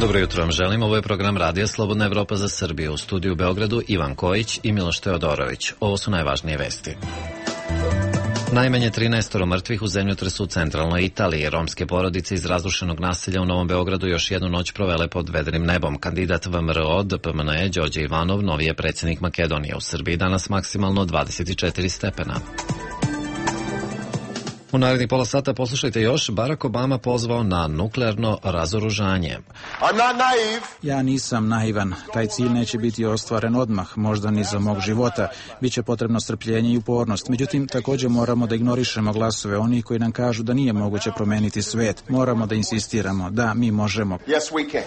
Dobro jutro vam želim, ovo je program Radija Slobodna Evropa za Srbiju. U studiju u Beogradu Ivan Kojić i Miloš Teodorović. Ovo su najvažnije vesti. Najmanje 13 mrtvih u zemljotresu u centralnoj Italiji. Romske porodice iz razrušenog naselja u Novom Beogradu još jednu noć provele pod vedrim nebom. Kandidat VMRO DPMNE Đorđe Ivanov novi je predsjednik Makedonije. U Srbiji danas maksimalno 24 stepena. U narednih pola sata poslušajte još, Barack Obama pozvao na nuklearno razoružanje. Ja nisam naivan. Taj cilj neće biti ostvaren odmah, možda ni za mog života. Biće potrebno strpljenje i upornost. Međutim, također moramo da ignorišemo glasove onih koji nam kažu da nije moguće promeniti svet. Moramo da insistiramo. Da, mi možemo. Yes, we can.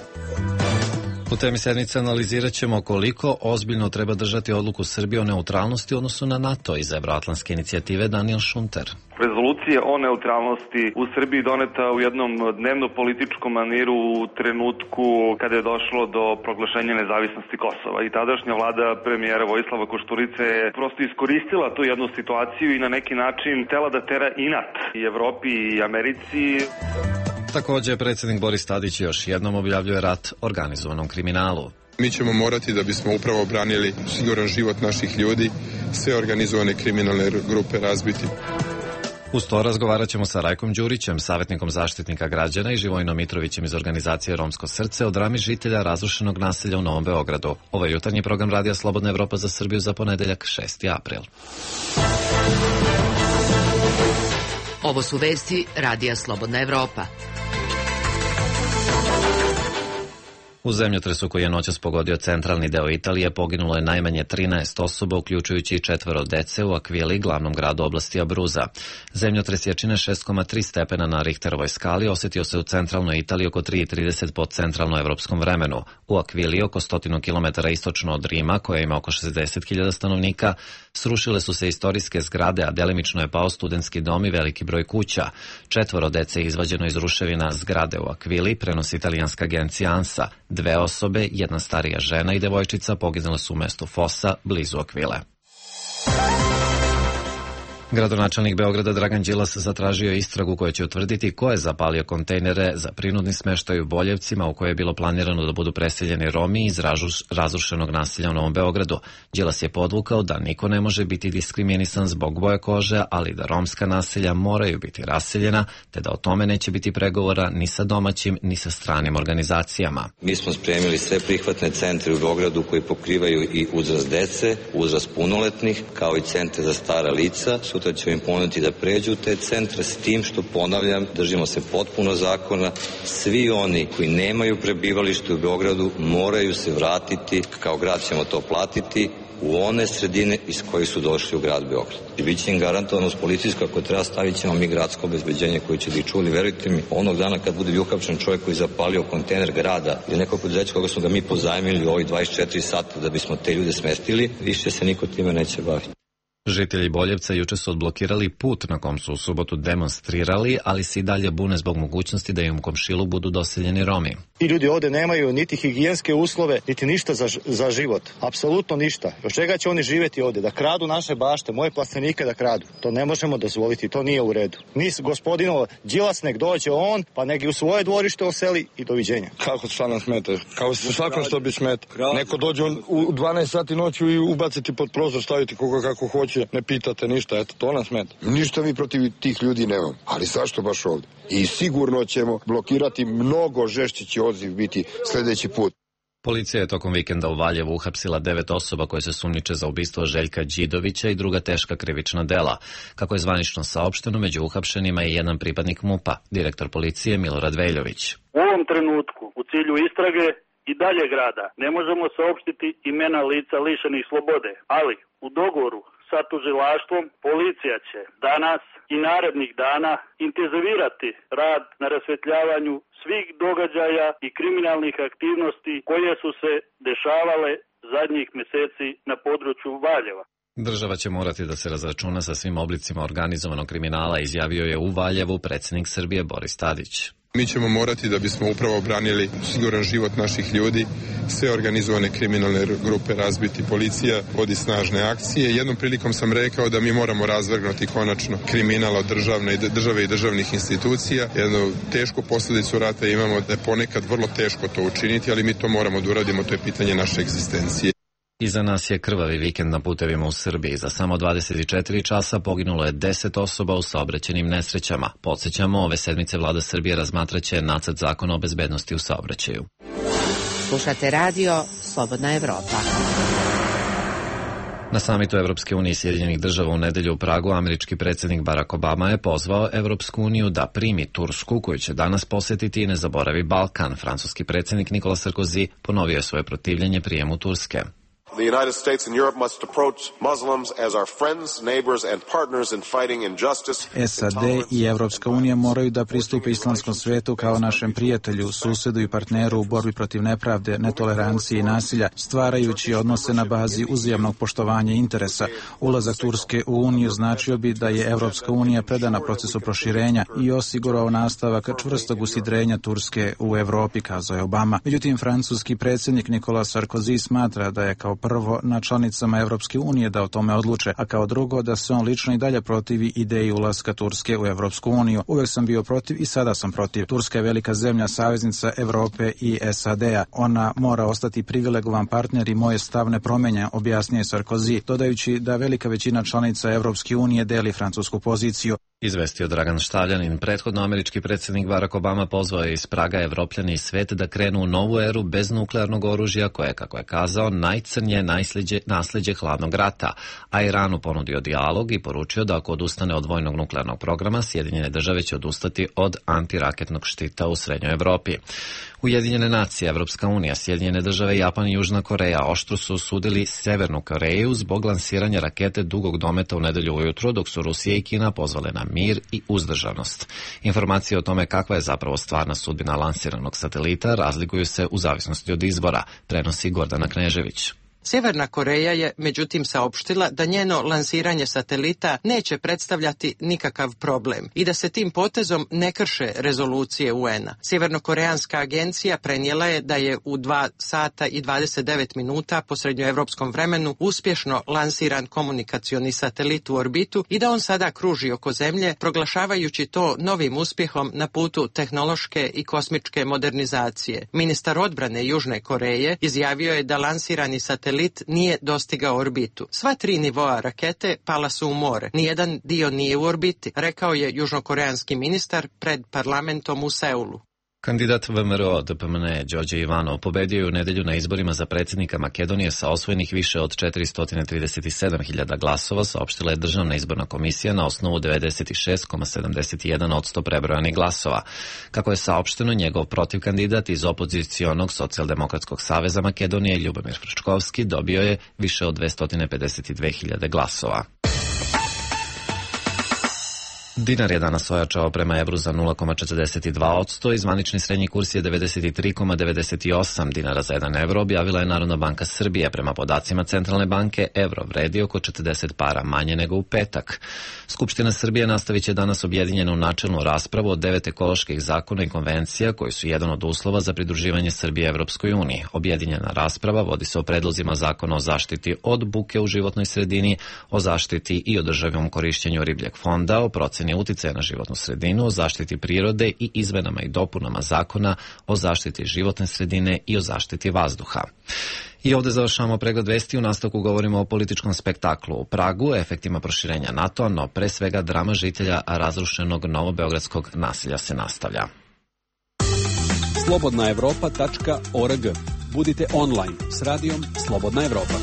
U temi sedmice analizirat ćemo koliko ozbiljno treba držati odluku Srbije o neutralnosti u odnosu na NATO iz Evroatlantske inicijative Daniel Šunter. Rezolucija o neutralnosti u Srbiji doneta u jednom dnevno-političkom maniru u trenutku kada je došlo do proglašenja nezavisnosti Kosova. I tadašnja vlada premijera Vojislava Košturice je prosto iskoristila tu jednu situaciju i na neki način htela da tera inat i Evropi i Americi. Također, predsjednik Boris Tadić još jednom objavljuje rat organizovanom kriminalu. Mi ćemo morati, da bismo upravo branili siguran život naših ljudi, sve organizovane kriminalne grupe razbiti. Uz to razgovarat ćemo sa Rajkom Đurićem, savjetnikom zaštitnika građana, i Živojinom Mitrovićem iz organizacije Romsko srce o drami žitelja razrušenog naselja u Novom Beogradu. Ovo je jutarnji program Radija Slobodna Evropa za Srbiju za ponedeljak 6. april. Ovo su vesti Radija Slobodna Evropa. U zemljotresu koji je noćas pogodio centralni deo Italije poginulo je najmanje 13 osoba, uključujući i 4 dece u Akvili, glavnom gradu oblasti Abruza. Zemljotres jačine 6,3 stepena na Richterovoj skali osjetio se u centralnoj Italiji oko 3:30 po centralnoevropskom vremenu. U Akvili, oko 100 km istočno od Rima, koja ima oko 60.000 stanovnika, srušile su se istorijske zgrade, a delimično je pao studentski dom i veliki broj kuća. 4 dece je izvađeno iz ruševina zgrade u Akvili, prenosi italijanska agencija ANSA. 2 osobe, jedna starija žena i devojčica poginule su u mestu Fosa, blizu Akvile. Gradonačelnik Beograda Dragan Đilas zatražio istragu koja će utvrditi ko je zapalio kontejnere za prinudni smeštaj u Boljevcima u koje je bilo planirano da budu preseljeni Romi iz razrušenog naselja u Novom Beogradu. Đilas je podvukao da niko ne može biti diskriminisan zbog boje kože, ali da romska naselja moraju biti raseljena, te da o tome neće biti pregovora ni sa domaćim ni sa stranim organizacijama. Mi smo spremili sve prihvatne centre u Beogradu koji pokrivaju i uzrast dece, uzrast punoletnih, kao i centre za stara lica. Sutra ćemo im ponuditi da pređu u te centre, s tim što, ponavljam, držimo se potpuno zakona. Svi oni koji nemaju prebivalište u Beogradu moraju se vratiti, kao grad ćemo to platiti, u one sredine iz kojih su došli u grad Beograd. I bit će im garantovano uz policijsko, ako treba stavit ćemo mi gradsko obezbeđenje koje će da ih čuli. Verujte mi, onog dana kad bude uhapšen čovjek koji zapalio kontejner grada ili neko preduzeće koga smo ga mi pozajmili u ovih 24 sata da bismo te ljude smestili, više se niko time neće baviti. Žitelji Boljevca juče su odblokirali put na kom su u subotu demonstrirali, ali se i dalje bune zbog mogućnosti da im u komšilu budu doseljeni Romi. Ti ljudi ovde nemaju niti higijenske uslove, niti ništa za život. Apsolutno ništa. Od čega će oni živjeti ovde? Da kradu naše bašte, moje plastenike da kradu. To ne možemo dozvoliti, to nije u redu. Nis gospodino Đilas nek dođe on, pa nek u svoje dvorište oseli i doviđenja. Kako šta nam smeta? Kao se svakom što bi smeta. Neko dođe u 12 sati noću i ubaciti pod prozor, staviti koga kako hoće. Ne pitate ništa, eto, to nas smeta. Ništa mi protiv tih ljudi nemam, ali zašto baš ovdje? I sigurno ćemo blokirati, mnogo žešći će odziv biti sljedeći put. Policija je tokom vikenda u Valjevu uhapsila 9 osoba koje se sumnjiče za ubistvo Željka Đidovića i druga teška krivična dela. Kako je zvanično saopšteno, među uhapšenima je jedan pripadnik MUP-a, direktor policije Milorad Veljović. U ovom trenutku, u cilju istrage i dalje grada, ne možemo saopštiti imena lica lišenih slobode, ali u dogovoru sa tužilaštvom policija će danas i narednih dana intenzivirati rad na rasvetljavanju svih događaja i kriminalnih aktivnosti koje su se dešavale zadnjih mjeseci na području Valjeva. Država će morati da se razračuna sa svim oblicima organizovanog kriminala, izjavio je u Valjevu predsjednik Srbije Boris Tadić. Mi ćemo morati, da bismo upravo obranili siguran život naših ljudi, sve organizovane kriminalne grupe razbiti. Policija vodi snažne akcije. Jednom prilikom sam rekao da mi moramo razvrgnuti konačno kriminal od države i državnih institucija. Jednu tešku posljedicu rata imamo da je ponekad vrlo teško to učiniti, ali mi to moramo da uradimo, to je pitanje naše egzistencije. Iza nas je krvavi vikend na putevima u Srbiji. Za samo 24 časa poginulo je 10 osoba u saobraćajnim nesrećama. Podsjećamo, ove sedmice vlada Srbije razmatraće nacrt zakona o bezbednosti u saobraćaju. Slušate radio Slobodna Evropa. Na samitu Evropske unije i Sjedinjenih država u nedelju u Pragu američki predsjednik Barack Obama je pozvao Evropsku uniju da primi Tursku, koju će danas posjetiti, i ne zaboravi Balkan. Francuski predsjednik Nicolas Sarkozy ponovio je svoje protivljenje prijemu Turske. The United States and Europe must approach Muslims as our friends, neighbors and partners in fighting injustice. SAD i Evropska unija moraju da pristupe islamskom svetu kao našem prijatelju, susedu i partneru u borbi protiv nepravde, netolerancije i nasilja, stvarajući odnose na bazi uzajamnog poštovanja interesa. Ulazak Turske u Uniju značio bi da je Evropska unija predana procesu proširenja i osigurao nastavak čvrstog usidrenja Turske u Evropi, kazao je Obama. Međutim, francuski predsjednik Nicolas Sarkozy smatra da je kao prvo na članicama Evropske unije da o tome odluče, a kao drugo da se on lično i dalje protivi ideji ulaska Turske u Evropsku uniju. Uvek sam bio protiv i sada sam protiv. Turska je velika zemlja, saveznica Evrope i SAD-a. Ona mora ostati privilegovan partner i moje stav ne promenja, objasnio je Sarkozy, dodajući da velika većina članica Evropske unije deli francusku poziciju. Izvestio Dragan Štavljanin. Prethodno američki predsjednik Barack Obama pozvao je iz Praga Evropljane i svet da krenu u novu eru bez nuklearnog oružja koje, kako je kazao, najcrnje nasleđe hladnog rata, a Iranu ponudio dijalog i poručio da ako odustane od vojnog nuklearnog programa, Sjedinjene države će odustati od antiraketnog štita u Srednjoj Evropi. Ujedinjene nacije, Evropska unija, Sjedinjene države, Japan i Južna Koreja oštro su osudili Severnu Koreju zbog lansiranja rakete dugog dometa u nedelju ujutro, dok su Rusija i Kina pozvale na mir i uzdržanost. Informacije o tome kakva je zapravo stvarna sudbina lansiranog satelita razlikuju se u zavisnosti od izbora, prenosi Gordana Knežević. Sjeverna Koreja je međutim saopštila da njeno lansiranje satelita neće predstavljati nikakav problem i da se tim potezom ne krše rezolucije UN-a. Sjevernokoreanska agencija prenijela je da je u 2 sata i 29 minuta po srednjoevropskom vremenu uspješno lansiran komunikacioni satelit u orbitu i da on sada kruži oko Zemlje, proglašavajući to novim uspjehom na putu tehnološke i kosmičke modernizacije. Ministar odbrane Južne Koreje izjavio je da lansirani satelit nije dostigao orbitu. Sva 3 nivoa rakete pala su u more. Nijedan dio nije u orbiti, rekao je južnokoreanski ministar pred parlamentom u Seulu. Kandidat VMRO DPMNE Đorđe Ivanov pobedio je u nedelju na izborima za predsjednika Makedonije sa osvojenih više od 437.000 glasova, saopštila je Državna izborna komisija na osnovu 96,71% prebrojanih glasova. Kako je saopšteno, njegov protivkandidat iz opozicionog Socijaldemokratskog saveza Makedonije, Ljubomir Frčkovski, dobio je više od 252.000 glasova. Dinar je danas ojačao prema evru za 0,42% i zvanični srednji kurs je 93,98 dinara za 1 evro, objavila je Narodna banka Srbije. Prema podacima Centralne banke, evro vredi oko 40 para manje nego u petak. Skupština Srbije nastavit će danas objedinjenu načelnu raspravu o 9 ekoloških zakona i konvencija koji su jedan od uslova za pridruživanje Srbije Evropskoj uniji. Objedinjena rasprava vodi se o predlozima zakona o zaštiti od buke u životnoj sredini, o zaštiti i održivom korišćenju ribljeg fonda, o proceni uticaja na životnu sredinu, o zaštiti prirode i izmenama i dopunama zakona o zaštiti životne sredine i o zaštiti vazduha. I ovdje završavamo pregled vesti. U nastavku govorimo o političkom spektaklu u Pragu, efektima proširenja NATO-a, no pre svega drama žitelja razrušenog novobeogradskog naselja se nastavlja. slobodnaevropa.org. Budite online s radijom Slobodna Evropa.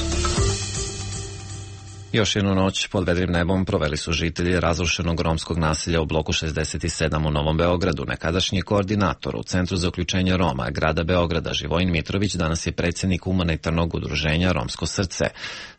Još jednu noć pod vedrim nebom proveli su žitelji razrušenog romskog naselja u bloku 67 u Novom Beogradu. Nekadašnji koordinator u Centru za uključenje Roma grada Beograda, Živojin Mitrović, danas je predsjednik humanitarnog udruženja Romsko srce.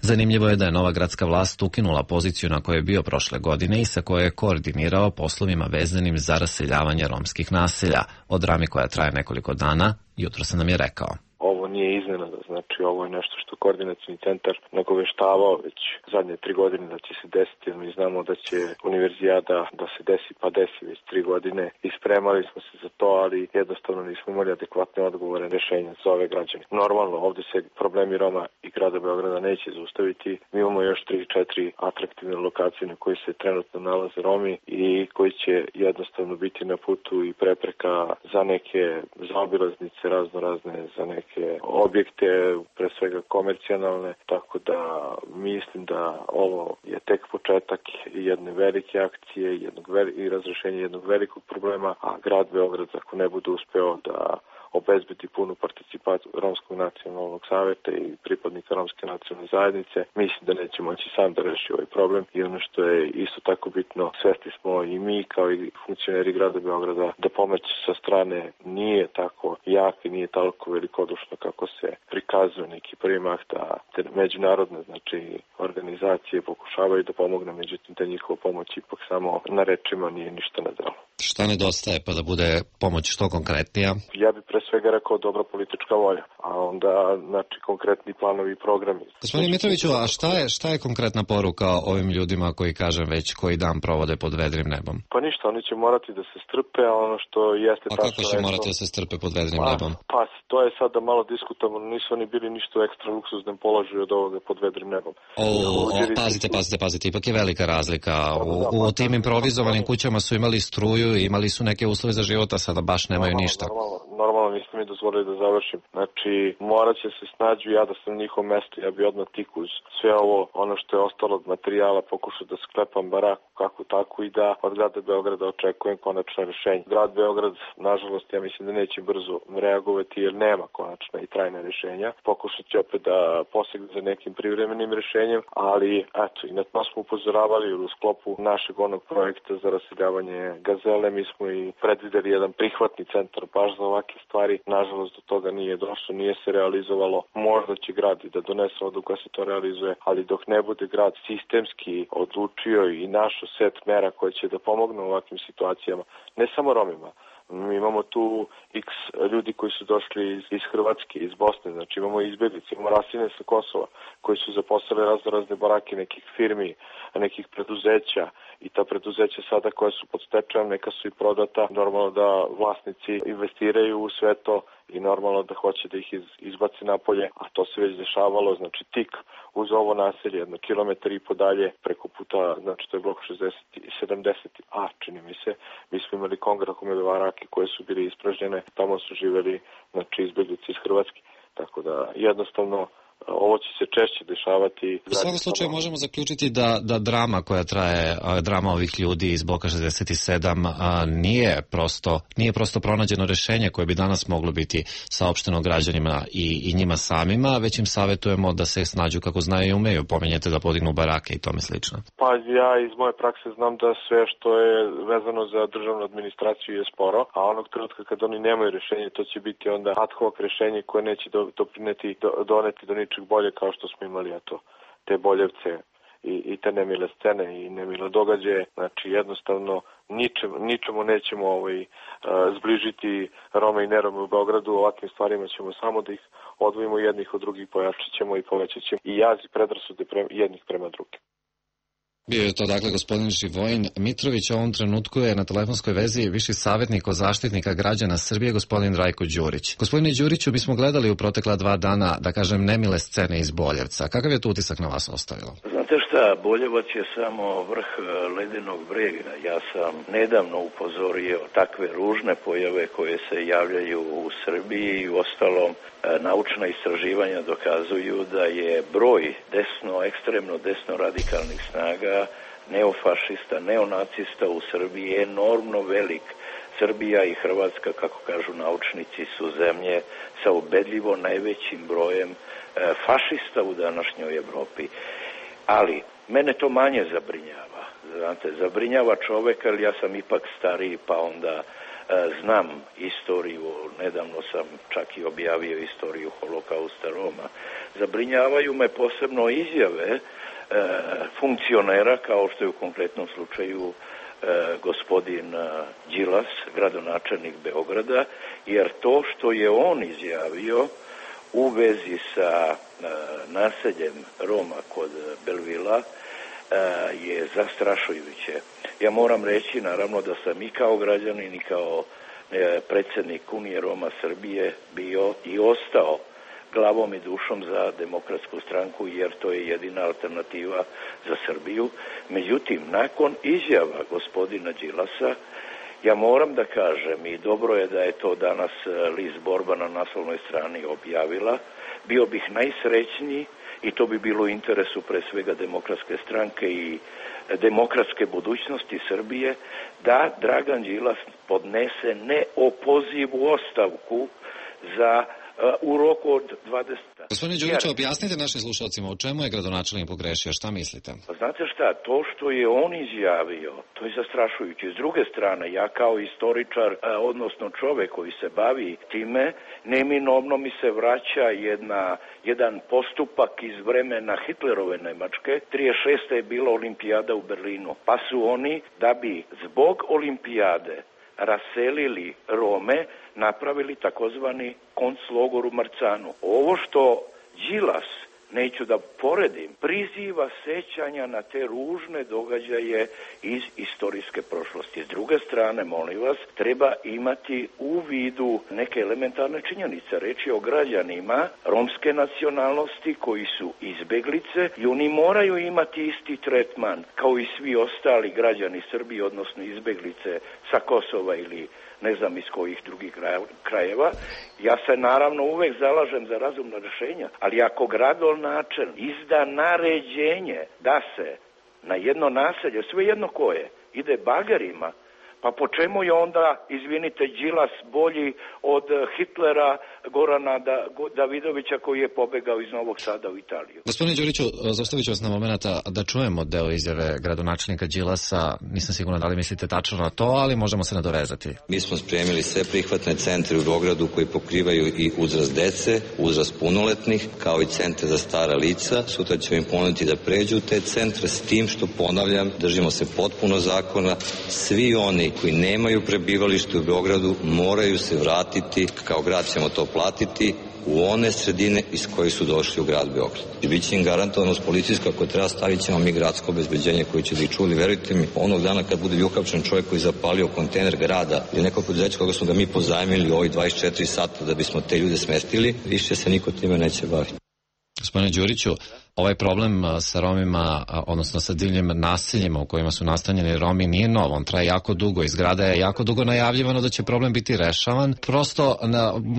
Zanimljivo je da je nova gradska vlast ukinula poziciju na kojoj je bio prošle godine i sa kojoj je koordinirao poslovima vezanim za raseljavanje romskih naselja. O drami koja traje nekoliko dana, jutro se nam je rekao. Ovo ovo nije iznenada, znači ovo je nešto što koordinacioni centar nagoveštavao već zadnje 3 godine da će se desiti, jer mi znamo da će univerzijada da se desi, pa desi već 3 godine i spremali smo se za to, ali jednostavno nismo imali adekvatne odgovore, rešenja za ove građane. Normalno, ovde se problemi Roma i grada Beograda neće zaustaviti. Mi imamo još 3-4 atraktivne lokacije na koji se trenutno nalaze Romi i koji će jednostavno biti na putu i prepreka za neke zaobilaznice razne, za neke objekte, pre svega komercijalne, tako da mislim da ovo je tek početak jedne velike akcije i razrešenje jednog velikog problema, a grad Beograd ako ne bude uspeo da obezbedi punu participaciju Romskog nacionalnog saveta i pripadnika Romske nacionalne zajednice, mislim da neće moći sam da reši ovaj problem i ono što je isto tako bitno, svesni smo i mi kao i funkcioneri grada Beograda da pomoć sa strane nije tako jak i nije toliko velikodušno kako se prikazuje neki primak da te međunarodne organizacije pokušavaju da pomogne, međutim da njihova pomoć ipak samo na rečima nije ništa na delu. Šta nedostaje pa da bude pomoć što konkretnija? Ja bih pre svega rekao dobra politička volja, a onda konkretni planovi i programi. Gospodine Mitroviću, a šta je konkretna poruka ovim ljudima koji dan provode pod vedrim nebom? Pa ništa, oni će morati da se strpe, a ono što jeste tačno... A kako će morati da se strpe pod vedrim nebom? Pa to je sada malo diskutabilno, nisu oni bili ništa u ekstra luksuznem položaju od ovoga pod vedrim nebom. Pazite, ipak je velika razlika. U tim improvizovanim kućama su imali struju i imali su neke uslove za život, a sada baš nemaju ništa. Normalno, niste mi dozvolili da završim. Znači, morat će se snađu, ja da sam na njihovom mestu, ja bi odmah tik uz sve ovo, ono što je ostalo od materijala, pokušao da sklepam baraku kako tako i da od grada Beograda očekujem konačno rešenje. Grad Beograd, nažalost, ja mislim da neće brzo reagovati jer nema konačna i trajna rešenja. Pokušat će opet da posegne za nekim privremenim rešenjem, ali eto, i na to smo upozoravali u sklopu našeg onog projekta za raseljavanje Gazele. Mi smo i predvideli jedan prihvatni centar baš za ovakve stvari. Nažalost, do toga nije došlo, nije se realizovalo. Možda će grad i da donese odluku da se to realizuje, ali dok ne bude grad sistemski odlučio i našo set mera koje će da pomogne u ovakvim situacijama, ne samo Romima. Mi imamo tu x ljudi koji su došli iz Hrvatske, iz Bosne, znači imamo izbjeglice, imamo rasine sa Kosova koji su zaposlili razne barake nekih firmi, nekih preduzeća i ta preduzeća sada koja su pod stečajem, neka su i prodata, normalno da vlasnici investiraju u sve to i normalno da hoće da ih izbaci napolje, a to se već dešavalo, znači tik uz ovo naselje, 1,5 kilometar dalje, preko puta, znači to je blok 70A, čini mi se, mi smo imali kongrahome barake koje su bile ispražnjene, tamo su živeli, znači izbjeglice iz Hrvatske, tako da jednostavno ovo će se češće dešavati. U svakom slučaju možemo zaključiti da drama koja traje, drama ovih ljudi iz bloka 67 nije prosto pronađeno rešenje koje bi danas moglo biti saopšteno građanima i njima samima, već im savjetujemo da se snađu kako znaju i umeju. Pominjete da podignu barake i tome slično. Pa ja iz moje prakse znam da sve što je vezano za državnu administraciju je sporo, a onog trenutka kad oni nemaju rešenje, to će biti onda ad hoc rešenje koje neće doneti do ničeg bolje kao što smo imali, te boljevce i te nemile scene i nemile događaje. Znači jednostavno ničemu nećemo zbližiti Rome i nerome u Beogradu. Ovakvim stvarima ćemo samo da ih odvojimo jednih od drugih, pojačat ćemo i povećat ćemo i jaz i predrasude jednih prema drugim. Bio je to dakle gospodin Živojin Mitrović, u ovom trenutku je na telefonskoj vezi viši savjetnik od Zaštitnika građana Srbije, gospodin Rajko Đurić. Gospodine Đuriću, mi smo gledali u protekla 2 dana, da kažem, nemile scene iz Boljevca. Kakav je to utisak na vas ostavilo? Znate šta, Boljevac je samo vrh ledenog brega. Ja sam nedavno upozorio takve ružne pojave koje se javljaju u Srbiji i ostalom naučna istraživanja dokazuju da je broj ekstremno desno radikalnih snaga, neofašista, neonacista u Srbiji je enormno velik. Srbija i Hrvatska, kako kažu naučnici, su zemlje sa ubedljivo najvećim brojem fašista u današnjoj Evropi. Ali mene to manje zabrinjava. Znate, zabrinjava čoveka, ali ja sam ipak stariji, pa onda znam istoriju, nedavno sam čak i objavio istoriju holokausta Roma. Zabrinjavaju me posebno izjave funkcionera, kao što je u konkretnom slučaju gospodin Đilas, gradonačelnik Beograda, jer to što je on izjavio u vezi sa naseljem Roma kod Belvila je zastrašujuće. Ja moram reći naravno da sam i kao građanin i kao predsjednik Unije Roma Srbije bio i ostao glavom i dušom za Demokratsku stranku jer to je jedina alternativa za Srbiju. Međutim, nakon izjava gospodina Đilasa, ja moram da kažem i dobro je da je to danas list Borba na naslovnoj strani objavila, bio bih najsrećniji i to bi bilo u interesu pre svega Demokratske stranke i demokratske budućnosti Srbije da Dragan Đilas podnese neopozivu ostavku za u roku od 20 dana. Gospodine Đuriću, objasnite našim slušalcima u čemu je gradonačelnik pogrešio, šta mislite? Pa znate šta, to što je on izjavio, to je zastrašujuće. S druge strane, ja kao istoričar, odnosno čovek koji se bavi time, neminovno mi se vraća jedan postupak iz vremena Hitlerove Nemačke. 36. je bila olimpijada u Berlinu, pa su oni, da bi zbog olimpijade raselili Rome, napravili takozvani konclogor u Marcanu. Ovo što Đilas, neću da poredim, priziva sećanja na te ružne događaje iz istorijske prošlosti. S druge strane, molim vas, treba imati u vidu neke elementarne činjenice. Reč je o građanima romske nacionalnosti koji su izbeglice i oni moraju imati isti tretman kao i svi ostali građani Srbije, odnosno izbeglice sa Kosova ili ne znam iz kojih drugih krajeva. Ja se naravno uvek zalažem za razumna rješenja, ali ako gradonačelnik izda naređenje da se na jedno naselje, svejedno koje, ide bagerima, pa po čemu je onda, izvinite, Đilas bolji od Hitlera, Gorana Davidovića koji je pobegao iz Novog Sada u Italiju? Gospodine Đuriću, zaustavit ću vas na momenta da čujemo deo izjave gradonačelnika Đilasa. Nisam sigurna da li mislite tačno na to, ali možemo se nadovezati. Mi smo spremili sve prihvatne centre u Beogradu koji pokrivaju i uzrast dece, uzrast punoletnih, kao i centre za stara lica. Sutra ćemo im ponuditi da pređu te centre s tim što, ponavljam, držimo se potpuno zakona. Svi oni koji nemaju prebivalište u Beogradu moraju se vratiti, kao grad ćemo to platiti, u one sredine iz koje su došli u grad Beograd. I bit će im garantovano s policijsko, ako treba stavit ćemo mi gradsko obezbeđenje koji će da ih čuli. Verujte mi, onog dana kad bude uhapšen čovjek koji zapalio kontejner grada ili neko preduzeće koga smo ga mi pozajmili ovih 24 sata da bismo te ljude smestili, više se niko time neće baviti. Gospodine Đuriću, ovaj problem sa Romima, odnosno sa divljim naseljima u kojima su nastanjeni Romi nije nov, on traje jako dugo, iz grada je jako dugo najavljivano da će problem biti rešavan. Prosto,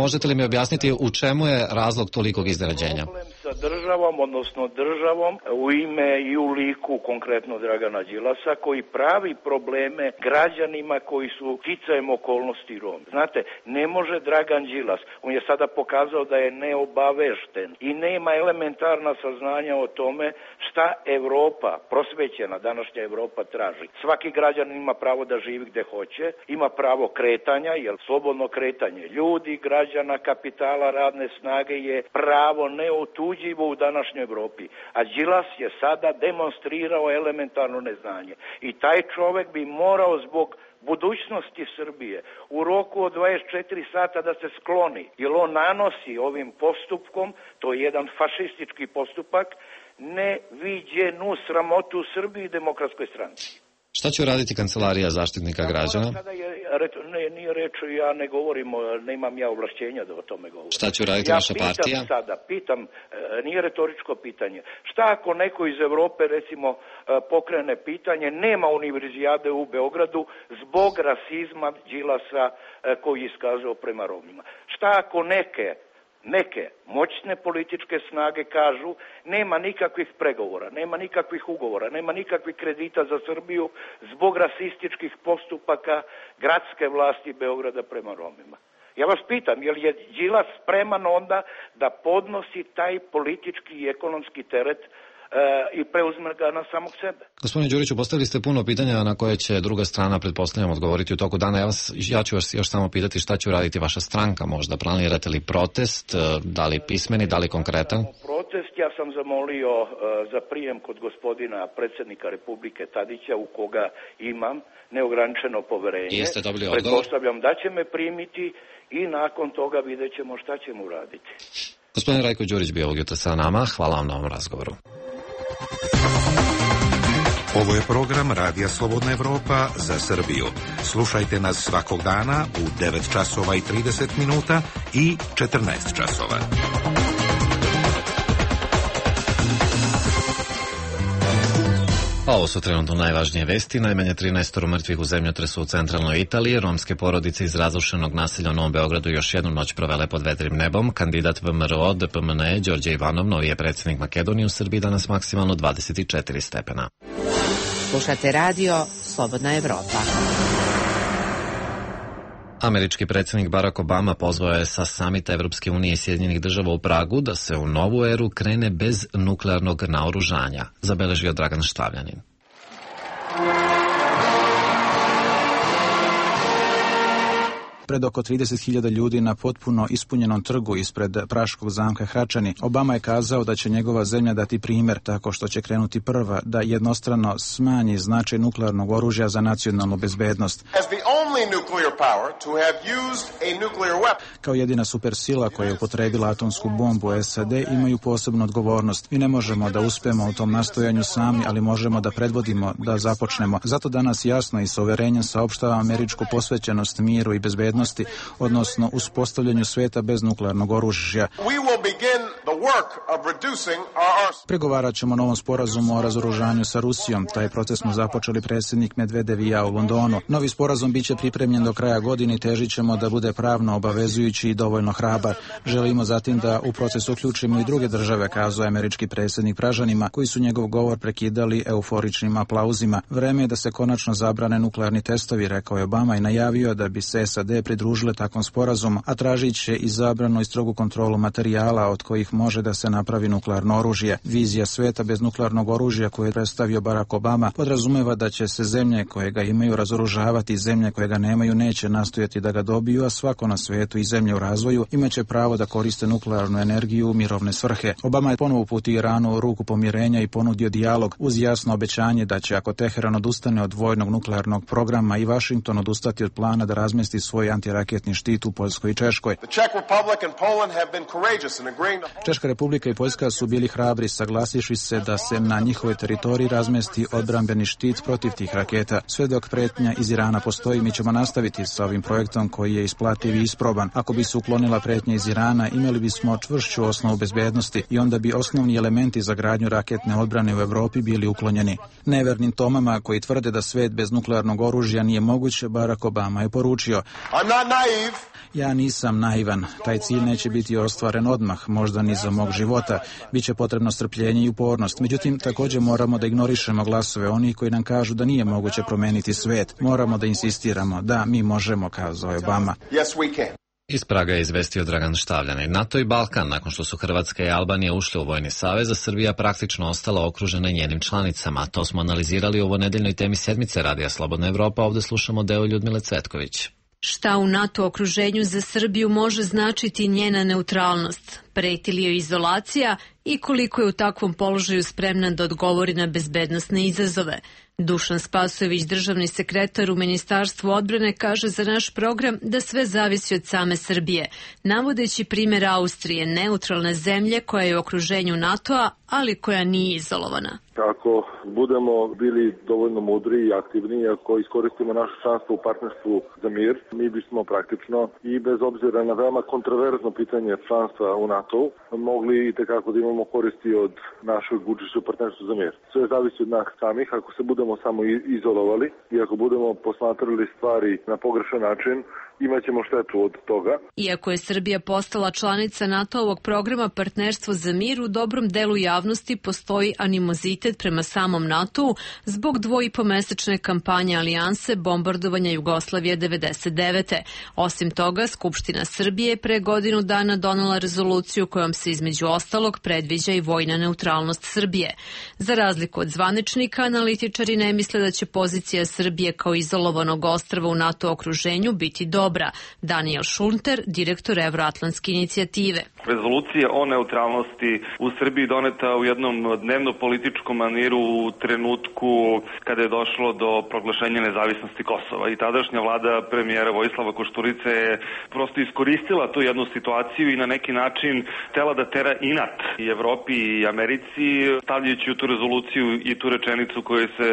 možete li mi objasniti u čemu je razlog tolikog iznenađenja? Sa državom, odnosno državom u ime i u liku konkretno Dragana Đilasa koji pravi probleme građanima koji su sticajem okolnosti Romi. Znate, ne može Dragan Đilas, on je sada pokazao da je neobavešten i nema elementarna saznanja o tome šta Evropa, prosvećena današnja Evropa traži. Svaki građanin ima pravo da živi gde hoće, ima pravo kretanja, jer slobodno kretanje ljudi, građana, kapitala, radne snage je pravo neotuđivo u današnjoj Evropi. A Đilas je sada demonstrirao elementarno neznanje. I taj čovek bi morao zbog budućnosti Srbije u roku od 24 sata da se skloni, jer on nanosi ovim postupkom, to je jedan fašistički postupak, neviđenu sramotu Srbiji i Demokratskoj stranci. Šta će uraditi Kancelarija zaštitnika građana? Nije reč, ja ne govorim, nemam ja ovlašćenja da o tome govorim. Šta će uraditi vaša partija? Pitam, nije retoričko pitanje. Šta ako neko iz Evrope, recimo, pokrene pitanje, nema univerzijade u Beogradu zbog rasizma Đilasa koji je iskazao prema Romima? Šta ako neke moćne političke snage kažu nema nikakvih pregovora, nema nikakvih ugovora, nema nikakvih kredita za Srbiju zbog rasističkih postupaka gradske vlasti Beograda prema Romima? Ja vas pitam, je li je Đilas spreman onda da podnosi taj politički i ekonomski teret i preuzme ga na samog sebe? Gospodine Đuriću, postavili ste puno pitanja na koje će druga strana, pretpostavljam, odgovoriti u toku dana. Ja ću vas još samo pitati šta će uraditi vaša stranka možda. Planirate li protest, da li pismeni, da li konkretan? Protest ja sam zamolio za prijem kod gospodina predsjednika Republike Tadića, u koga imam neograničeno poverenje. Jeste dobili odgovor? Pretpostavljam da će me primiti i nakon toga vidjet ćemo šta ćemo uraditi. Gospodin Rajko Đurić bio ovog jutra sa nama. Hvala vam na ovom razgovoru. Ovo je program Radija Slobodna Evropa za Srbiju. Slušajte nas svakog dana u 9 časova i 30 minuta i 14 časova. A ovo su trenutno najvažnije vesti. Najmanje 13 mrtvih u zemljotresu u centralnoj Italiji. Romske porodice iz razrušenog naselja u Novom Beogradu još jednu noć provele pod vedrim nebom. Kandidat VMRO DPMNE Đorđe Ivanov, novi je predsjednik Makedonije, u Srbiji danas maksimalno 24 stepena. Slušate radio Slobodna Evropa. Američki predsjednik Barack Obama pozvao je sa samita Evropske unije i Sjedinjenih država u Pragu da se u novu eru krene bez nuklearnog naoružanja, zabeležio Dragan Štavljanin. Pred oko 30.000 ljudi na potpuno ispunjenom trgu ispred Praškog zamka Hračani, Obama je kazao da će njegova zemlja dati primjer tako što će krenuti prva da jednostrano smanji značaj nuklearnog oružja za nacionalnu bezbednost. Kao jedina supersila koja je upotrebila atomsku bombu, SAD imaju posebnu odgovornost. Mi ne možemo da uspemo u tom nastojanju sami, ali možemo da predvodimo, da započnemo. Zato danas jasno i sa uverenjem saopštava američku posvećenost miru i bezbednosti, odnosno uspostavljanju sveta bez nuklearnog oružja. Pregovarat ćemo o novom sporazumu o razoružanju sa Rusijom. Taj proces smo započeli predsjednik Medvedev i ja u Londonu. Novi sporazum biće pripremljen do kraja godine i težit ćemo da bude pravno obavezujući i dovoljno hrabar. Želimo zatim da u proces uključimo i druge države, kazao je američki predsjednik Pražanima, koji su njegov govor prekidali euforičnim aplauzima. Vreme je da se konačno zabrane nuklearni testovi, rekao je Obama i najavio da bi se SAD pridružile takvom sporazumu, a tražit će i zabranu i strogu kontrolu materijala od kojih može da se napravi nuklearno oružje. Vizija sveta bez nuklearnog oružja koju je predstavio Barack Obama podrazumeva da će se zemlje koje ga imaju razoružavati i zemlje koje ga nemaju neće nastojati da ga dobiju, a svako na svetu i zemlje u razvoju imaće pravo da koriste nuklearnu energiju u mirovne svrhe. Obama je ponovo uputio Iranu ruku pomirenja i ponudio dijalog uz jasno obećanje da će, ako Teheran odustane od vojnog nuklearnog programa, i Vašington odustati od plana da razmesti svoj antiraketni štit u Poljskoj i Češkoj. Češka republika i Poljska su bili hrabri, saglasivši se da se na njihovoj teritoriji razmesti odbrambeni štit protiv tih raketa. Sve dok pretnja iz Irana postoji, mi ćemo nastaviti sa ovim projektom koji je isplativ i isproban. Ako bi se uklonila pretnja iz Irana, imali bismo čvršću osnovu bezbednosti i onda bi osnovni elementi za gradnju raketne odbrane u Evropi bili uklonjeni. Nevernim Tomama koji tvrde da svet bez nuklearnog oružja nije moguć, Barack Obama je poručio: Ja nisam naivan. Taj cilj neće biti ostvaren odmah, možda ni za mog života. Biće potrebno strpljenje i upornost. Međutim, također moramo da ignorišemo glasove onih koji nam kažu da nije moguće promeniti svet. Moramo da insistiramo. Da, mi možemo, kazao je Obama. Iz Praga je izvestio Dragan Štavljanin. NATO i Balkan, nakon što su Hrvatska i Albanija ušle u vojni savez, a Srbija praktično ostala okružena njenim članicama. To smo analizirali u ovonedeljnoj temi sedmice Radija Slobodna Evropa. Ovde slušamo deo Ljudmile Cvetković. Šta u NATO okruženju za Srbiju može značiti njena neutralnost? Preti li joj izolacija i koliko je u takvom položaju spremna da odgovori na bezbednosne izazove? Dušan Spasojević, državni sekretar u Ministarstvu odbrane, kaže za naš program da sve zavisi od same Srbije, navodeći primjer Austrije, neutralne zemlje koja je u okruženju NATO-a, ali koja nije izolovana. Ako budemo bili dovoljno mudri i aktivni, ako iskoristimo naše članstvo u partnerstvu za mir, mi bismo praktično i bez obzira na veoma kontroverzno pitanje članstva u NATO mogli i tekako da imamo koristi od našeg učešća u partnerstvu za mir. Sve zavisi od nas samih. Ako se budemo samo izolovali i ako budemo posmatrali stvari na pogrešan način, imaćemo štetu od toga. Iako je Srbija postala članica NATO-ovog programa Partnerstvo za mir, u dobrom delu javnosti postoji animozitet prema samom NATO-u zbog 2,5-mesečne kampanje alijanse bombardovanja Jugoslavije 99. Osim toga, Skupština Srbije je pre godinu dana donela rezoluciju kojom se između ostalog predviđa i vojna neutralnost Srbije. Za razliku od zvaničnika, analitičari ne misle da će pozicija Srbije kao izolovanog ostrva u NATO okruženju biti dobra. oktobra. Daniel Šunter, direktor Evroatlantske inicijative. Rezolucija o neutralnosti u Srbiji doneta u jednom dnevno-političkom maniru u trenutku kada je došlo do proglašenja nezavisnosti Kosova. I tadašnja vlada premijera Vojislava Košturice je prosto iskoristila tu jednu situaciju i na neki način htela da tera inat i Evropi i Americi, stavljajući u tu rezoluciju i tu rečenicu koju se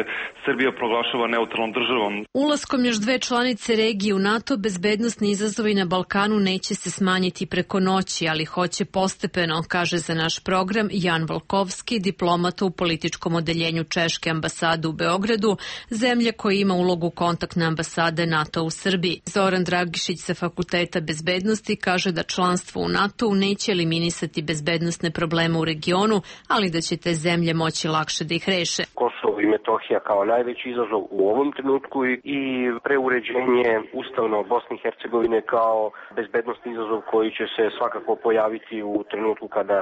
Srbija proglašava neutralnom državom. Ulaskom još dve članice regije u NATO, bezbednosni izazovi na Balkanu neće se smanjiti preko noći, ali hoće postepeno, kaže za naš program Jan Volkovski, diplomata u političkom odeljenju Češke ambasade u Beogradu, zemlje koja ima ulogu kontaktne ambasade NATO u Srbiji. Zoran Dragišić sa Fakulteta bezbednosti kaže da članstvo u NATO-u neće eliminisati bezbednosne probleme u regionu, ali da će te zemlje moći lakše da ih reše. Kosovo i Metohija kao najveći izazov u ovom trenutku i preuređenje ustavno Bosne i Hercegovine kao bezbednosni izazov koji će se svakako pojaviti u trenutku kada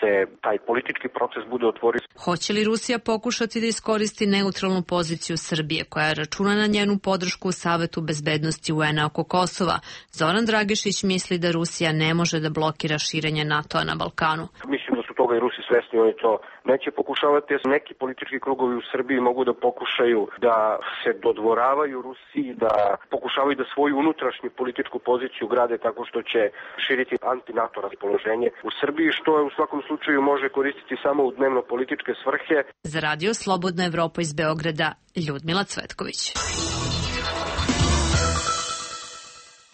se taj politički proces bude otvorio. Hoće li Rusija pokušati da iskoristi neutralnu poziciju Srbije, koja računa na njenu podršku u Savetu bezbednosti UN-a oko Kosova? Zoran Dragišić misli da Rusija ne može da blokira širenje NATO-a na Balkanu. Mislim da su toga i Rusi svesni, oni to neće pokušavati. Neki politički krugovi u Srbiji mogu da pokušaju da se dodvoravaju Rusiji, da pokušavaju da svoju unutrašnju političku poziciju grade tako što će širiti anti-NATO raspoloženje u Srbiji, što je u svakom slučaju može koristiti samo u dnevno-političke svrhe. Za Radio Slobodna Evropa iz Beograda, Ljudmila Cvetković.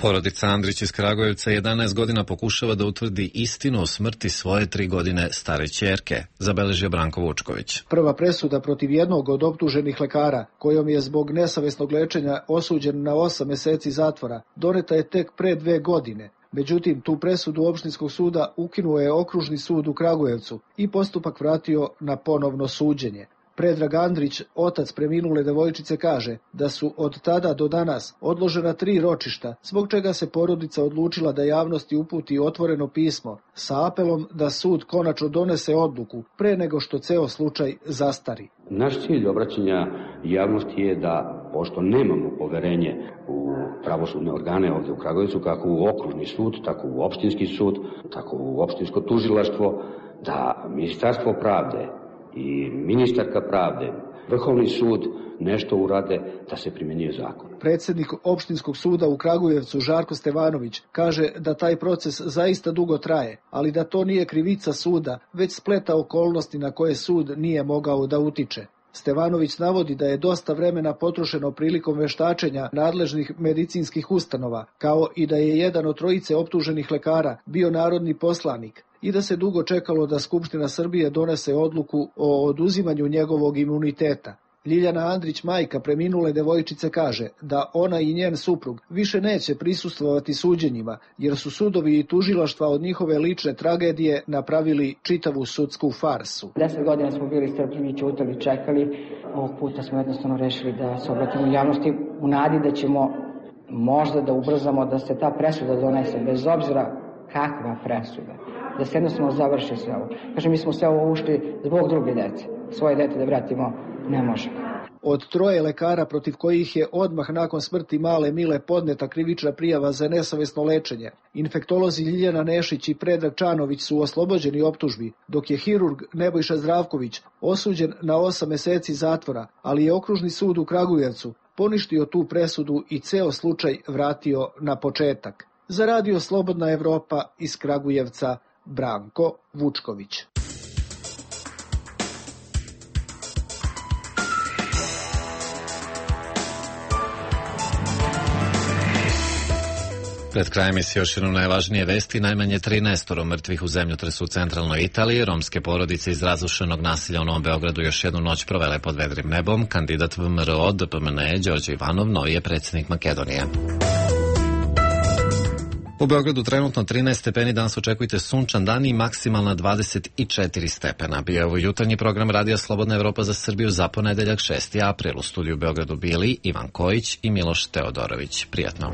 Porodica Andrić iz Kragujevca 11 godina pokušava da utvrdi istinu o smrti svoje 3 godine stare ćerke, zabeležio Branko Vučković. Prva presuda protiv jednog od optuženih lekara, kojom je zbog nesavesnog lečenja osuđen na 8 meseci zatvora, doneta je tek pre 2 godine. Međutim, tu presudu opštinskog suda ukinuo je Okružni sud u Kragujevcu i postupak vratio na ponovno suđenje. Predrag Andrić, otac preminule devojčice, kaže da su od tada do danas odložena 3 ročišta, zbog čega se porodica odlučila da javnosti uputi otvoreno pismo sa apelom da sud konačno donese odluku pre nego što ceo slučaj zastari. Naš cilj obraćanja javnosti je da, pošto nemamo poverenje u pravosudne organe ovdje u Kragujevcu, kako u Okružni sud, tako u opštinski sud, tako u opštinsko tužilaštvo, da Ministarstvo pravde i ministarka pravde, Vrhovni sud nešto urade da se primjenjuje zakon. Predsjednik opštinskog suda u Kragujevcu Žarko Stevanović kaže da taj proces zaista dugo traje, ali da to nije krivica suda, već spleta okolnosti na koje sud nije mogao da utiče. Stevanović navodi da je dosta vremena potrošeno prilikom veštačenja nadležnih medicinskih ustanova, kao i da je jedan od 3 optuženih lekara bio narodni poslanik i da se dugo čekalo da Skupština Srbije donese odluku o oduzimanju njegovog imuniteta. Ljiljana Andrić, majka preminule devojčice, kaže da ona i njen suprug više neće prisustvovati suđenjima, jer su sudovi i tužilaštva od njihove lične tragedije napravili čitavu sudsku farsu. 10 godina smo bili strpljivi, ćutali, čekali. Ovog puta smo jednostavno rešili da se obratimo javnosti u nadi da ćemo možda da ubrzamo da se ta presuda donese, bez obzira kakva presuda, da se jednostavno završi sve ovo. Kažem, mi smo sve ovo ušli zbog druge dece. Svoje dete da vratimo ne možemo. Od 3 lekara protiv kojih je odmah nakon smrti male Mile podneta krivična prijava za nesavesno lečenje, infektolozi Ljiljana Nešić i Predrag Čanović su oslobođeni optužbi, dok je hirurg Nebojša Zdravković osuđen na 8 meseci zatvora, ali je Okružni sud u Kragujevcu poništio tu presudu i ceo slučaj vratio na početak. Za Radio Slobodna Evropa iz Kragujevca, Branko Vučković. Pred krajem je još jedno najvažnije vesti, najmanje 13 mrtvih u zemljotresu u centralnoj Italiji. Romske porodice iz razrušenog nasilja u Novom Beogradu još jednu noć provele pod vedrim nebom. Kandidat VMRO DPMN Đorđe Ivanov, novi je predsjednik Makedonije. U Beogradu trenutno 13 stepeni, danas očekujte sunčan dan i maksimalna 24 stepena. Bio je ovo jutarnji program Radija Slobodna Evropa za Srbiju za ponedeljak 6. april. U studiju u Beogradu bili Ivan Kojić i Miloš Teodorović. Prijatno.